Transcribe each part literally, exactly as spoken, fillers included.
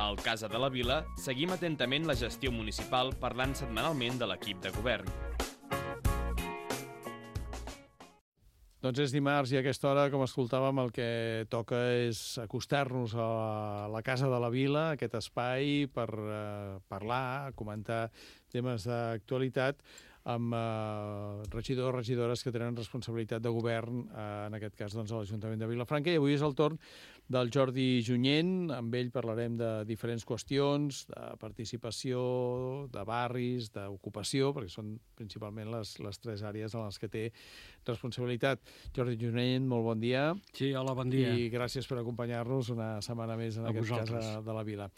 Al Casa de la Vila seguim atentament la gestió municipal parlant setmanalment de l'equip de govern. Doncs és dimarts i a aquesta hora, com escoltàvem, el que toca és acostar-nos a la Casa de la Vila, aquest espai per eh, parlar, comentar temes d'actualitat amb eh, regidors, regidores que tenen responsabilitat de govern, eh, en aquest cas doncs, a l'Ajuntament de Vilafranca. I avui és el torn del Jordi Junyent. Amb ell parlarem de diferents qüestions, de participació, de barris, d'ocupació, perquè són principalment les, les tres àrees en les que té responsabilitat. Jordi Junyent, molt bon dia. Sí, hola, bon dia. I gràcies per acompanyar-nos una setmana més en A aquest vosaltres. cas de la Vila.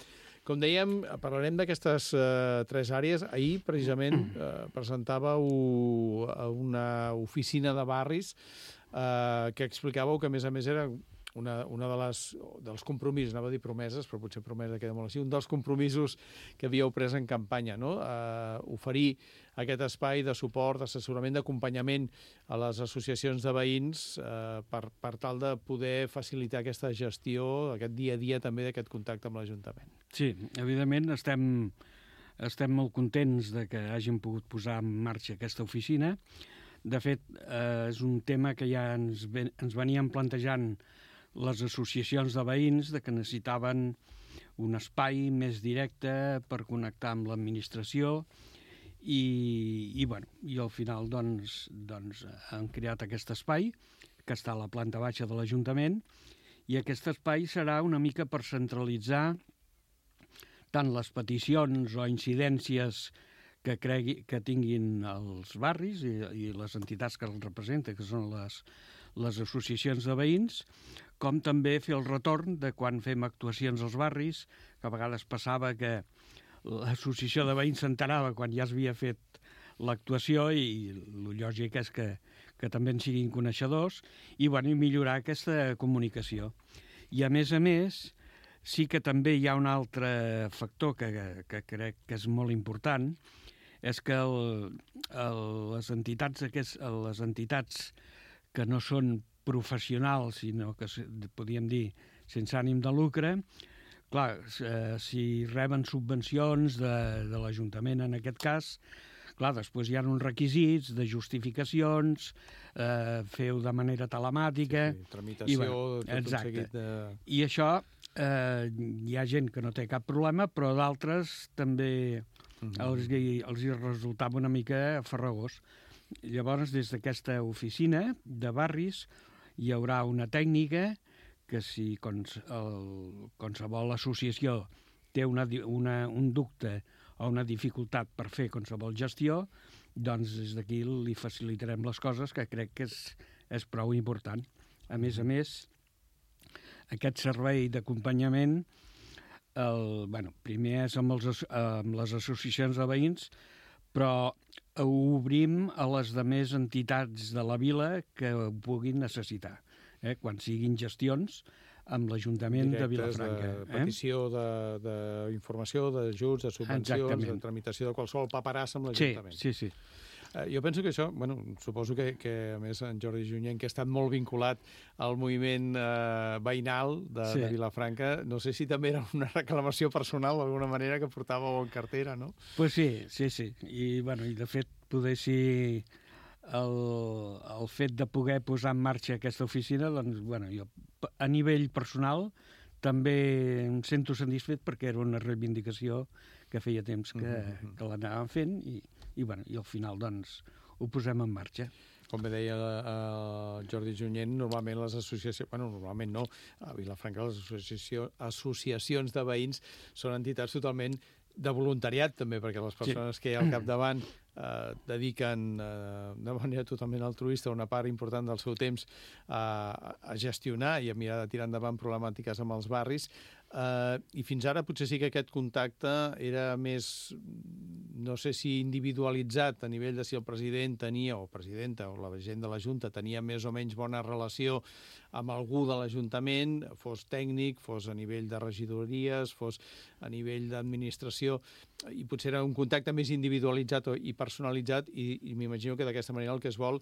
Com dèiem, parlarem d'aquestes eh, tres àrees. Ahir, precisament, eh, presentàveu una oficina de barris eh, que explicàveu que, a més a més, era una, una de les, dels compromisos, anava a dir promeses, però potser promesa queda molt així, un dels compromisos que havíeu pres en campanya, no? Eh, oferir aquest espai de suport, d'assessorament, d'acompanyament a les associacions de veïns eh, per, per tal de poder facilitar aquesta gestió, aquest dia a dia també d'aquest contacte amb l'Ajuntament. Sí, evidentment estem, estem molt contents de que hàgim pogut posar en marxa aquesta oficina. De fet, eh, és un tema que ja ens, ven, ens venien plantejant les associacions de veïns, de que necessitaven un espai més directe per connectar amb l'administració i, i, bueno, i al final doncs, doncs, han creat aquest espai que està a la planta baixa de l'Ajuntament, i aquest espai serà una mica per centralitzar tant les peticions o incidències que, cregui, que tinguin els barris i, i les entitats que els representen, que són les, les associacions de veïns, com també fer el retorn de quan fem actuacions als barris, que a vegades passava que l'associació de veïns s'enterava quan ja s'havia fet l'actuació i el lògic és que, que també en siguin coneixedors i, bueno, i millorar aquesta comunicació. I, a més a més, sí que també hi ha un altre factor que, que crec que és molt important, és que el, el, les, entitats, aquest, les entitats que no són professionals, sinó que podríem dir sense ànim de lucre, clar, eh, si reben subvencions de, de l'Ajuntament en aquest cas, clar, després hi ha uns requisits de justificacions, eh, feu de manera telemàtica... Sí, sí, tramitació, i, bueno, tot exacte. Un seguit de... I això, eh, hi ha gent que no té cap problema, però d'altres també mm-hmm. els, els hi resultava una mica farragós. Llavors, des d'aquesta oficina de barris hi haurà una tècnica que si quals, el, qualsevol associació té una, una, un dubte o una dificultat per fer qualsevol gestió, doncs des d'aquí li facilitarem les coses, que crec que és, és prou important. A més a més, aquest servei d'acompanyament, el, bueno, primer és amb, els, amb les associacions de veïns, però ho obrim a les demés entitats de la vila que ho puguin necessitar, eh? Quan siguin gestions amb l'Ajuntament de Vilafranca. De petició eh? d'informació, d'ajuts, de subvencions, Exactament. De tramitació de qualsevol paperassa amb l'Ajuntament. Sí, sí, sí. Eh, jo penso que això, bueno, suposo que, que a més en Jordi Junyent, que ha estat molt vinculat al moviment eh, veïnal de, sí. de Vilafranca, no sé si també era una reclamació personal d'alguna manera que portàveu en cartera, no? Pues sí, sí, sí. I, bueno, i de fet, poder si el, el fet de poder posar en marxa aquesta oficina, doncs, bueno, jo a nivell personal també em sento satisfet perquè era una reivindicació que feia temps que, mm-hmm. que l'anàvem fent i, i, bueno, i al final doncs, ho posem en marxa. Com bé deia el Jordi Junyent, normalment les associacions... Bueno, normalment no. A Vilafranca les associació, associacions de veïns són entitats totalment de voluntariat, també, perquè les persones sí. que hi ha al capdavant eh, dediquen eh, de manera totalment altruista una part important del seu temps a, a gestionar i a mirar de tirar endavant problemàtiques amb els barris. Uh, I fins ara potser sí que aquest contacte era més, no sé si individualitzat a nivell de si el president tenia, o presidenta, o la gent de la Junta tenia més o menys bona relació amb algú de l'Ajuntament, fos tècnic, fos a nivell de regidories, fos a nivell d'administració, i potser era un contacte més individualitzat i personalitzat, i, i m'imagino que d'aquesta manera el que es vol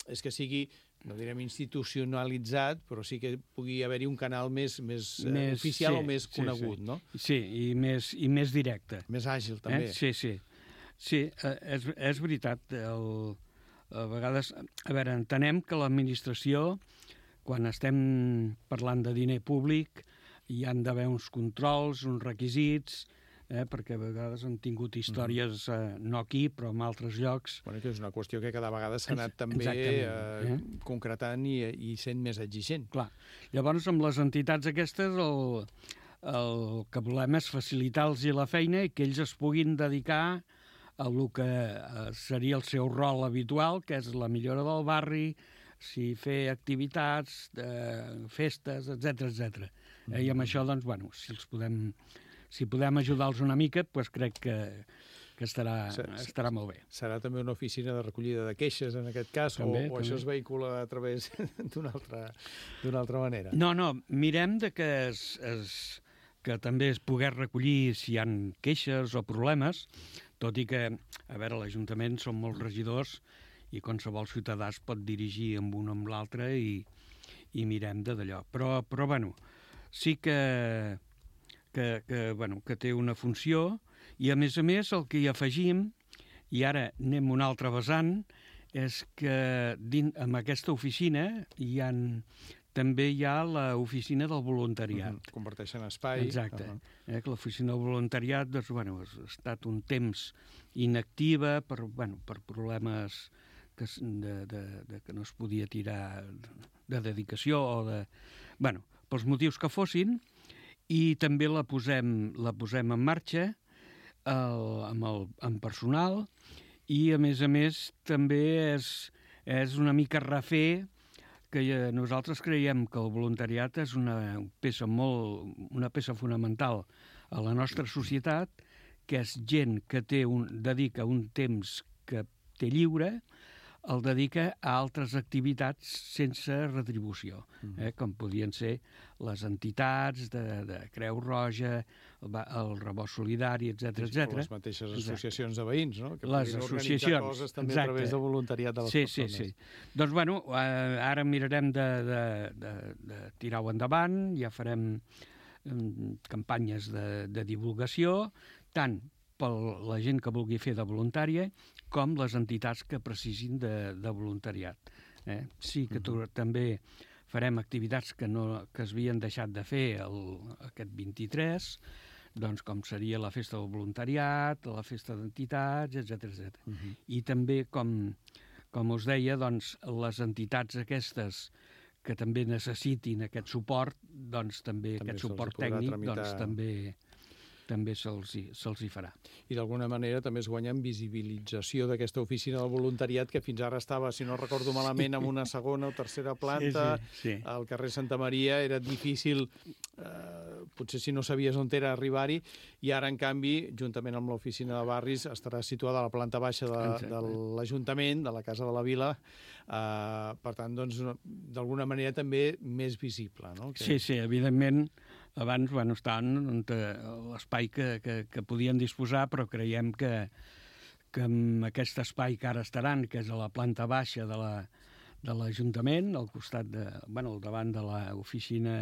és que sigui no direm institucionalitzat, però sí que pugui haver-hi un canal més, més, més oficial sí, o més sí, conegut, sí. no? Sí, i més, i més directe. Més àgil, també. Eh? Sí, sí. Sí, és, és veritat. El, a vegades, a veure, entenem que l'administració, quan estem parlant de diner públic, hi han d'haver uns controls, uns requisits, eh, perquè a vegades han tingut històries, eh, no aquí, però en altres llocs. Bueno, que és una qüestió que cada vegada s'ha anat també eh, eh? concretant i, i sent més exigent. Clar. Llavors, amb les entitats aquestes, el, el que volem és facilitar-los la feina i que ells es puguin dedicar a el que seria el seu rol habitual, que és la millora del barri, si fer activitats, eh, festes, etcètera, etcètera. Eh, I amb això, doncs, bueno, si els podem, si podem ajudar-los una mica, doncs crec que, que estarà, estarà molt bé. Serà també una oficina de recollida de queixes, en aquest cas, també, o, o també. Això es vehicula a través d'una altra, d'una altra manera? No, no, mirem de que, es, es, que també es pogués recollir si hi ha queixes o problemes, tot i que, a veure, l'Ajuntament són molts regidors i qualsevol ciutadà es pot dirigir amb un o amb l'altre i, i mirem de d'allò. Però, però bueno, sí que, que, que, bueno, que té una funció i, a més a més, el que hi afegim, i ara anem a un altre vessant, és que dins, en aquesta oficina hi ha, també hi ha l'oficina del voluntariat. Uh-huh. Comparteixen espai. Exacte. Uh-huh. eh, que l'oficina del voluntariat doncs, bueno, ha estat un temps inactiva per, bueno, per problemes que, de, de, de que no es podia tirar de dedicació o de... Bueno, pels motius que fossin, i també la posem, la posem en marxa el, amb, el, amb personal i, a més a més, també és, és una mica refer que nosaltres creiem que el voluntariat és una peça molt, una peça fonamental a la nostra societat, que és gent que té un, dedica un temps que té lliure, el dedica a altres activitats sense retribució, eh? Com podien ser les entitats de, de Creu Roja, el, el Rebost Solidari, etcètera, etcètera. Les mateixes associacions de veïns, no? Que les associacions, coses també exacte. A través de voluntariat de les sí, persones. Sí, sí. Doncs, bueno, eh, ara mirarem de, de, de, de tirar-ho endavant, ja farem eh, campanyes de, de divulgació, tant per la gent que vulgui fer de voluntària, com les entitats que precisin de, de voluntariat. Eh? Sí que tu, uh-huh. també farem activitats que, no, que es havien deixat de fer el, aquest vint-i-tres, doncs com seria la festa del voluntariat, la festa d'entitats, etcètera, etcètera. Uh-huh. I també, com, com us deia, doncs, les entitats aquestes que també necessitin aquest suport, doncs també, també aquest suport tècnic, tramitar... doncs també... també se'ls hi, se'ls hi farà. I d'alguna manera també es guanya en visibilització d'aquesta oficina del voluntariat que fins ara estava, si no recordo malament, en una segona o tercera planta, sí, sí, sí. al carrer Santa Maria, era difícil, eh, potser si no sabies on era arribar-hi, i ara, en canvi, juntament amb l'oficina de barris, estarà situada a la planta baixa de, de l'Ajuntament, de la Casa de la Vila, eh, per tant, doncs, d'alguna manera també més visible, no? Que... Sí, sí, evidentment. Abans, bueno, estaven l'espai que, que, que podien disposar, però creiem que, que amb aquest espai que ara estaran, que és a la planta baixa de la, de l'Ajuntament, al costat de, bueno, al davant de l'oficina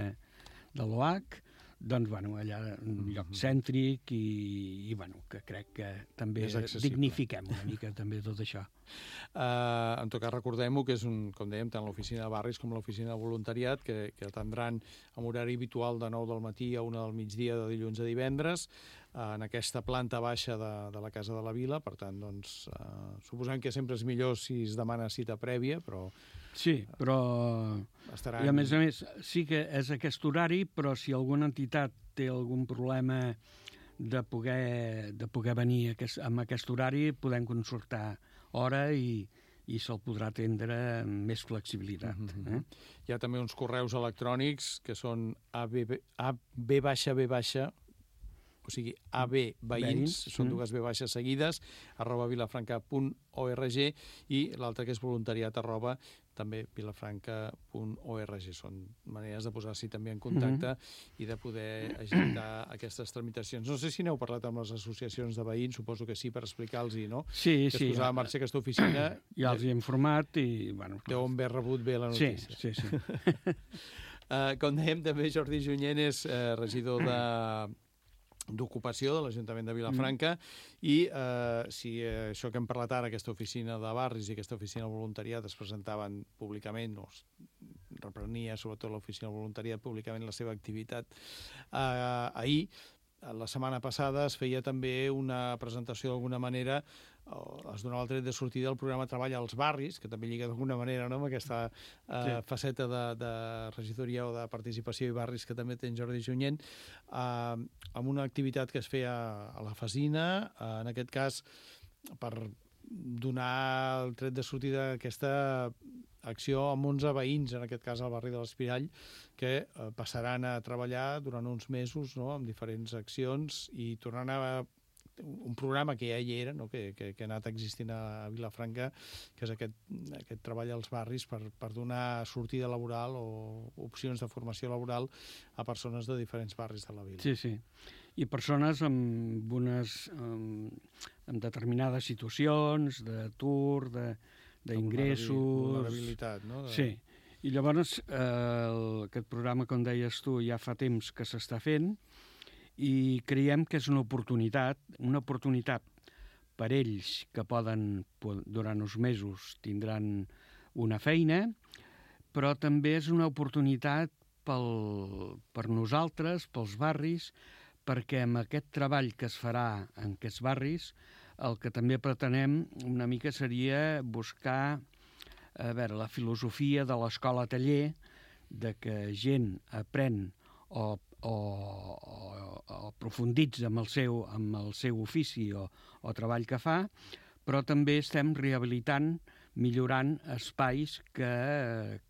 de l'O H, doncs, bueno, allà un lloc cèntric i, i bueno, que crec que també dignifiquem una mica també tot això. Uh, en tot cas, recordem-ho, que és, un, com dèiem, tant l'oficina de barris com l'oficina de voluntariat, que, que atendran amb horari habitual de nou del matí a una del migdia de dilluns a divendres, uh, en aquesta planta baixa de, de la Casa de la Vila. Per tant, doncs, uh, suposem que sempre és millor si es demana cita prèvia, però... Sí, però... Estaran... I a més a més, sí que és aquest horari, però si alguna entitat té algun problema de poder, de poder venir aquest, amb aquest horari, podem consultar hora i, i se'l podrà atendre amb més flexibilitat. Uh-huh. eh? Hi ha també uns correus electrònics que són A B B baixa B baixa, o sigui, A B veïns, veïns. Són dues B baixes seguides, arroba vilafranca punt org, i l'altre que és voluntariat arroba també vilafranca punt org. Són maneres de posar-s'hi també en contacte mm-hmm. i de poder agitar aquestes tramitacions. No sé si n'heu parlat amb les associacions de veïns, suposo que sí, per explicar-los, no? Sí, que sí. es posava en marxa aquesta oficina. Ja els hi he informat i... Bueno, deu haver rebut bé la notícia. Sí, sí, sí. uh, com dèiem, també Jordi Junyent és uh, regidor de... d'ocupació de l'Ajuntament de Vilafranca mm. i eh, si eh, això que hem parlat ara, aquesta oficina de barris i aquesta oficina de voluntariat es presentaven públicament, o es reprenia sobretot l'oficina de voluntariat públicament la seva activitat eh, ahir, la setmana passada es feia també una presentació d'alguna manera, es donava el tret de sortida del programa Treball als barris, que també lliga d'alguna manera, no?, amb aquesta eh, sí. faceta de, de regidoria o de participació i barris que també té en Jordi Junyent, eh, amb una activitat que es feia a la Fasina, eh, en aquest cas per donar el tret de sortida d'aquesta acció amb onze veïns, en aquest cas al barri de l'Espirall, que eh, passaran a treballar durant uns mesos, no?, amb diferents accions i tornant a un programa que ja hi era, no?, que, que, que ha anat existint a Vilafranca, que és aquest, aquest treball als barris per, per donar sortida laboral o opcions de formació laboral a persones de diferents barris de la vila. Sí, sí. I persones amb unes amb, amb determinades situacions d'atur, de, d'ingressos... Vulnerabilitat, no? De... Sí. I llavors eh, el, aquest programa, com deies tu, ja fa temps que s'està fent, i creiem que és una oportunitat, una oportunitat per ells que poden, durant uns mesos, tindran una feina, però també és una oportunitat pel, per nosaltres, pels barris, perquè amb aquest treball que es farà en aquests barris, el que també pretenem una mica seria buscar a veure, la filosofia de l'escola taller, de que gent aprèn o O, o, o aprofunditza amb el seu, amb el seu ofici o, o treball que fa, però també estem rehabilitant, millorant espais que,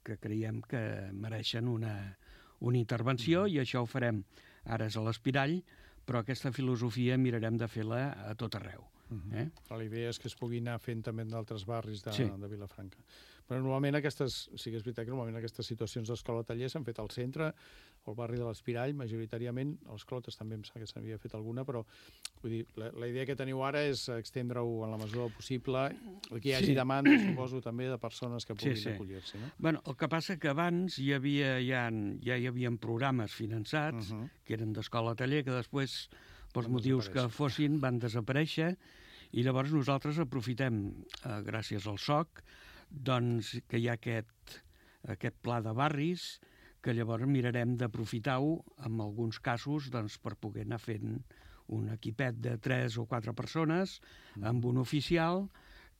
que creiem que mereixen una, una intervenció, mm. i això ho farem. Ara és a l'Espirall, però aquesta filosofia mirarem de fer-la a tot arreu. Mm-hmm. eh? La idea és que es pugui anar fent també en d'altres barris de, sí. de Vilafranca. Però normalment aquestes, sí que és veritat que normalment aquestes situacions d'escola-taller s'han fet al centre, al barri de l'Espirall, majoritàriament, a les Clotes també em sembla que s'havia fet alguna, però vull dir, la, la idea que teniu ara és extendre-ho en la mesura possible, que hi hagi sí. demanda, suposo, també de persones que puguin sí, sí. acollir-s'hi, no? Bueno, el que passa que abans hi havia, ja, ja hi havia programes finançats, uh-huh. que eren d'escola-taller, que després, pels motius que fossin, van desaparèixer, i llavors nosaltres aprofitem, eh, gràcies al S O C, doncs que hi ha aquest, aquest pla de barris, que llavors mirarem d'aprofitar-ho en alguns casos doncs, per poder anar fent un equipet de tres o quatre persones amb un oficial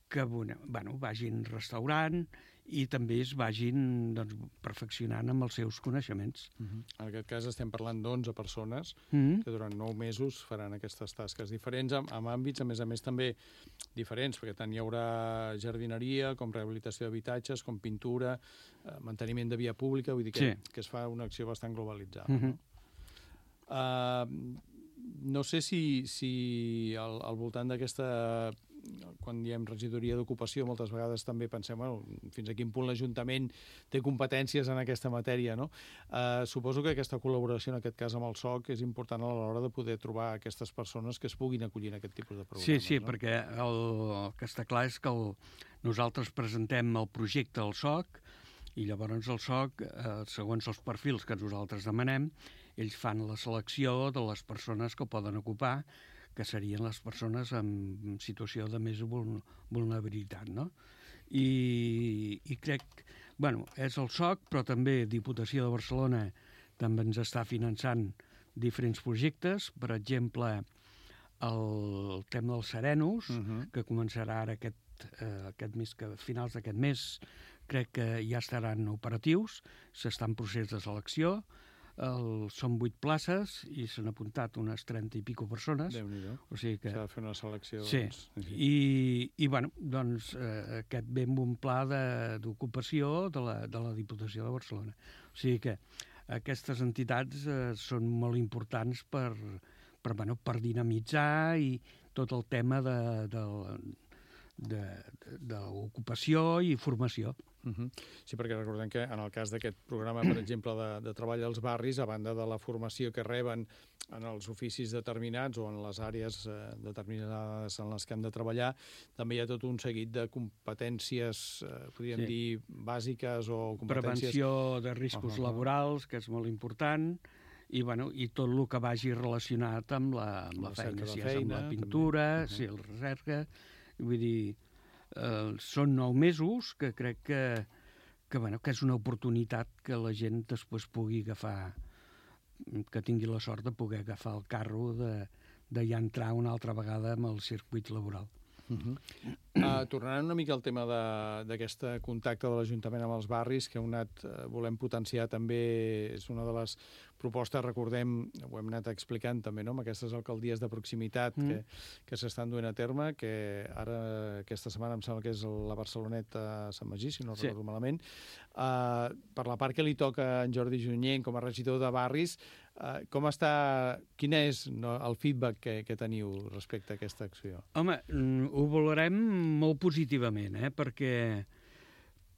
que bueno, vagin restaurant i també es vagin doncs, perfeccionant amb els seus coneixements. Uh-huh. En aquest cas estem parlant d'onze persones uh-huh. que durant nou mesos faran aquestes tasques diferents, amb, amb àmbits, a més a més, també diferents, perquè tant hi haurà jardineria, com rehabilitació d'habitatges, com pintura, eh, manteniment de via pública, vull dir que, sí. que es fa una acció bastant globalitzada. Uh-huh. no? Uh, no sé si, si al, al voltant d'aquesta... quan diem regidoria d'ocupació, moltes vegades també pensem, bueno, fins a quin punt l'Ajuntament té competències en aquesta matèria, no? Eh, suposo que aquesta col·laboració, en aquest cas amb el S O C, és important a l'hora de poder trobar aquestes persones que es puguin acollir en aquest tipus de programes. Sí, sí, no? perquè el, el que està clar és que el, nosaltres presentem el projecte al S O C i llavors el S O C, eh, segons els perfils que nosaltres demanem, ells fan la selecció de les persones que poden ocupar, que serien les persones en situació de més vulnerabilitat, no? I, i crec, bueno, és el S O C, però també Diputació de Barcelona també ens està finançant diferents projectes, per exemple, el tema dels serenos, uh-huh. que començarà ara aquest, eh, aquest mes, que a finals d'aquest mes crec que ja estaran operatius, s'està en procés de selecció. El, són vuit places i s'han apuntat unes trenta i pico persones. Déu-n'hi-do. O sigui que... S'ha de fer una selecció. Sí, doncs... I, i bueno, doncs eh, aquest ve amb un pla d'ocupació de, de, la, de la Diputació de Barcelona. O sigui que aquestes entitats eh, són molt importants per, per, bueno, per dinamitzar i tot el tema de, de, de, de, de ocupació i formació. Uh-huh. Sí, perquè recordem que en el cas d'aquest programa, per exemple, de, de treball als barris, a banda de la formació que reben en els oficis determinats o en les àrees eh, determinades en les que han de treballar, també hi ha tot un seguit de competències, eh, podríem sí. dir, bàsiques o competències... Prevenció de riscos uh-huh. laborals, que és molt important, i, bueno, i tot el que vagi relacionat amb la, amb la, la feina, si és amb la pintura, uh-huh. si el recerca... Vull dir, eh, són nou mesos que crec que, que, bueno, que és una oportunitat que la gent després pugui agafar, que tingui la sort de poder agafar el carro de, de ja entrar una altra vegada amb el circuit laboral. Uh-huh. uh, tornant una mica al tema d'aquest contacte de l'Ajuntament amb els barris, que hem anat, uh, volem potenciar també, és una de les propostes, recordem, ho hem anat explicant també, no?, amb aquestes alcaldies de proximitat mm. que, que s'estan duent a terme, que ara aquesta setmana em sembla que és la Barceloneta a Sant Magí, si no sí. recordo malament. Uh, per la part que li toca a en Jordi Junyent com a regidor de barris, uh, com està, quin és no, el feedback que, que teniu respecte a aquesta acció? Home, ho valorem molt positivament, eh? perquè,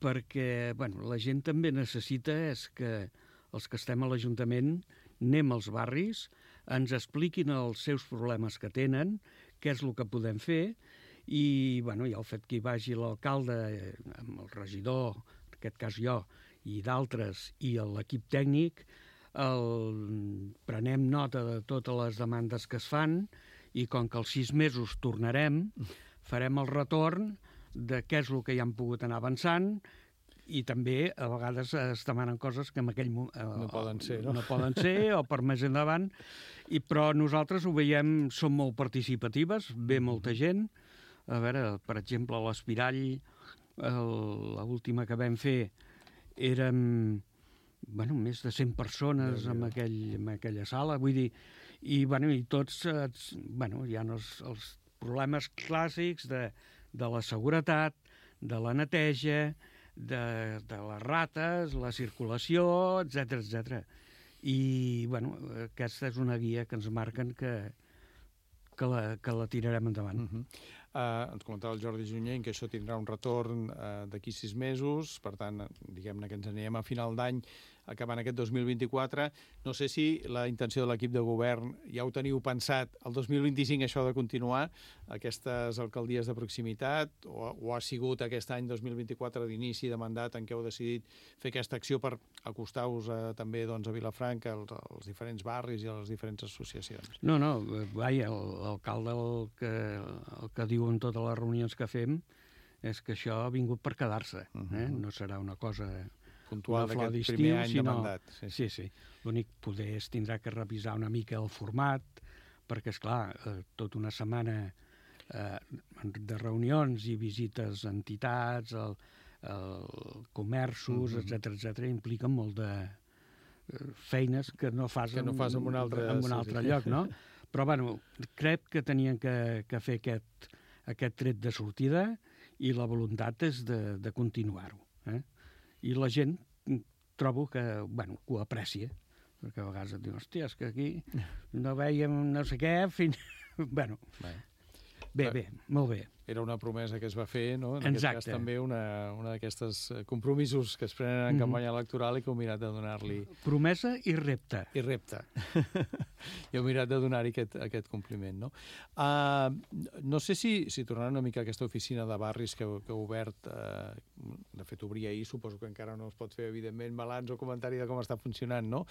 perquè bueno, la gent també necessita és que els que estem a l'Ajuntament anem als barris, ens expliquin els seus problemes que tenen, què és el que podem fer, i, bueno, i el fet que hi vagi l'alcalde amb el regidor, en aquest cas jo, i d'altres, i l'equip tècnic, el, prenem nota de totes les demandes que es fan, i com que als sis mesos tornarem, farem el retorn de què és el que ja han pogut anar avançant, i també a vegades es demanen coses que en aquell moment eh, no poden ser, no? no poden ser o per més endavant, i, però nosaltres ho veiem, som molt participatives, ve molta gent. A veure, per exemple, l'Espirall, l'última que vam fer, érem bueno, més de cent persones en, aquell, en aquella sala, vull dir, i, bueno, i tots, bueno, hi ha els, els problemes clàssics de, de la seguretat, de la neteja, de, de les rates, la circulació, etcètera, etcètera. I, bueno, aquesta és una guia que ens marquen que, que, la, que la tirarem endavant. Uh-huh. Uh, ens comentava el Jordi Junyent que això tindrà un retorn uh, d'aquí sis mesos, per tant, diguem-ne que ens anirem a final d'any acabant aquest dos mil vint-i-quatre. No sé si la intenció de l'equip de govern ja ho teniu pensat, el dos mil vint-i-cinc això de continuar, aquestes alcaldies de proximitat, o, o ha sigut aquest any dos mil vint-i-quatre d'inici de mandat en què heu decidit fer aquesta acció per acostar-vos a, també doncs, a Vilafranca, als, als diferents barris i a les diferents associacions? No, no, vaja, l'alcalde el que, el que diu en totes les reunions que fem és que això ha vingut per quedar-se, uh-huh. eh? No serà una cosa puntual d'aquest primer any sinó... de mandat. Sí, sí. sí. L'únic poder és tindrà que revisar una mica el format, perquè, esclar, eh, tota una setmana eh, de reunions i visites a entitats, el, el comerços, uh-huh. etcètera, etcètera, impliquen molt de eh, feines que no fas, que no fas en un altre, en un altre sí, lloc, no? Però, bueno, crec que tenien que, que fer aquest, aquest tret de sortida i la voluntat és de, de continuar-ho, eh? I la gent trobo que, bueno, que ho aprecia, perquè a vegades et diuen, hòstia, és que aquí no veiem no sé què, fins... bueno, bé, bé, bé, molt bé. Era una promesa que es va fer, no? En Exacte. Aquest cas també una, una d'aquestes compromisos que es prenen en mm-hmm. campanya electoral i que heu mirat de donar-li... Promesa i repte. I repte. I heu mirat de donar-hi aquest, aquest compliment, no? Uh, no sé si, si tornant una mica a aquesta oficina de barris que, que heu obert, uh, de fet obria ahir, suposo que encara no es pot fer, evidentment, balanç o comentari de com està funcionant, no?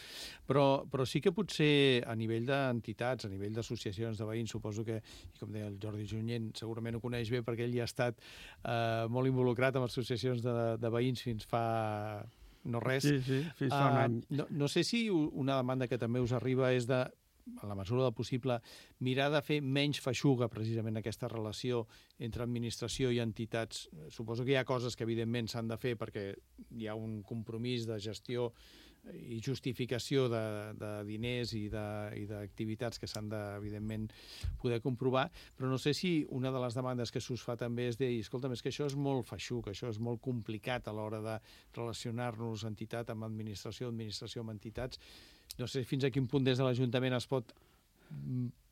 Però, però sí que potser a nivell d'entitats, a nivell d'associacions de veïns, suposo que, i com deia el Jordi Junyent, segurament ho coneix bé perquè ell ja ha estat eh, molt involucrat amb associacions de, de veïns fins fa no res. Sí, sí, fins fa un any. Uh, no, no sé si una demanda que també us arriba és de, a la mesura del possible, mirar de fer menys feixuga precisament aquesta relació entre administració i entitats. Suposo que hi ha coses que evidentment s'han de fer perquè hi ha un compromís de gestió i justificació de, de diners i d'activitats que s'han de, evidentment, poder comprovar, però no sé si una de les demandes que s'us fa també és dir, escolta'm, és que això és molt feixuc, això és molt complicat a l'hora de relacionar-nos entitat amb administració, administració amb entitats. No sé fins a quin punt des de l'Ajuntament es pot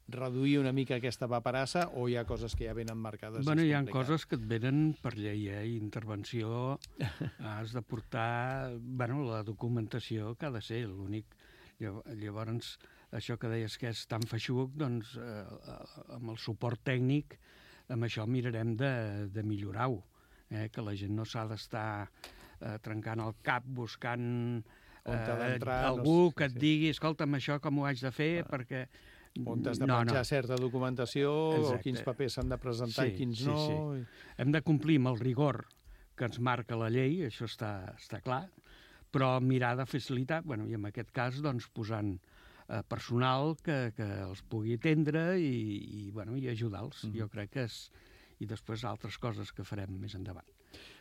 reduir una mica aquesta paperassa o hi ha coses que ja venen marcades? Bueno, hi ha coses que et venen per llei, eh? Intervenció, has de portar, bueno, la documentació que ha de ser, l'únic. Llavors, això que deies que és tan feixuc, doncs, eh, amb el suport tècnic, amb això mirarem de, de millorar-ho, eh? Que la gent no s'ha d'estar eh, trencant el cap buscant eh, algú que et digui, escolta'm, això com ho haig de fer, ah. perquè... On has de menjar no, no. certa documentació, exacte. O quins papers s'han de presentar sí, i quins sí, no... Sí. Hem de complir amb el rigor que ens marca la llei, això està, està clar, però mirar de facilitar, bueno, i en aquest cas, doncs, posant eh, personal que, que els pugui atendre i, i, bueno, i ajudar-los. Mm-hmm. Jo crec que és... I després altres coses que farem més endavant.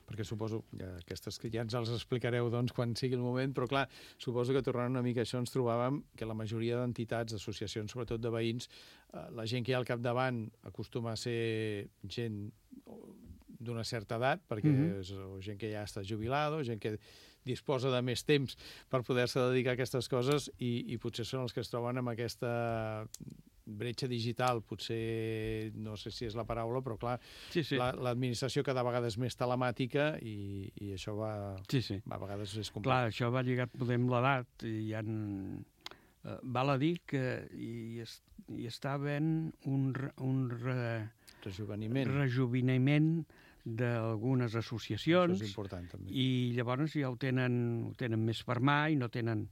Perquè suposo que aquestes que ja ens els explicareu doncs, quan sigui el moment, però clar, suposo que tornant una mica a això ens trobàvem que la majoria d'entitats, associacions, sobretot de veïns, eh, la gent que hi ha al capdavant acostuma a ser gent d'una certa edat, perquè mm-hmm. és o gent que ja està jubilada, o gent que disposa de més temps per poder-se dedicar a aquestes coses i, i potser són els que es troben amb aquesta bretxa digital, potser no sé si és la paraula, però clar, sí, sí. l'administració cada vegada és més telemàtica i, i això va, sí, sí. va a vegades és complicat. Clar, això va lligat poder amb l'edat i hi ha... Uh, val a dir que hi, es, hi està havent un, un re, rejuveniment, rejuveniment d'algunes associacions. Això és important, també. I llavors ja ho tenen, ho tenen més per mà i no tenen...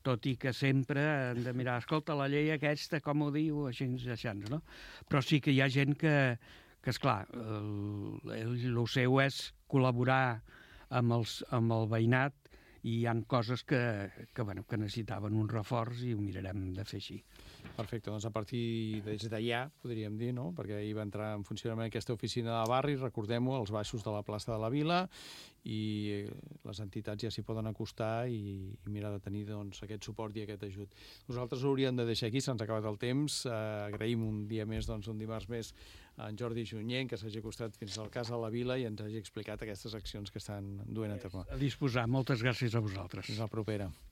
tot i que sempre hem de mirar, escolta, la llei aquesta, com ho diu, així, així, no? Però sí que hi ha gent que, que esclar, el, el, el seu és col·laborar amb, els, amb el veïnat i hi ha coses que, que, bueno, que necessitaven un reforç i ho mirarem de fer així. Perfecte, doncs a partir des d'allà, podríem dir, no? Perquè ahir va entrar en funcionament aquesta oficina de barri, recordem-ho, als baixos de la plaça de la Vila, i les entitats ja s'hi poden acostar i, i mirar de tenir doncs, aquest suport i aquest ajut. Nosaltres ho hauríem de deixar aquí, se'ns ha acabat el temps. Eh, agraïm un dia més, doncs, un dimarts més, a en Jordi Junyent, que s'hagi acostat fins al cas de la Vila i ens hagi explicat aquestes accions que estan duent a terme. A disposar. Moltes gràcies a vosaltres. Fins la propera.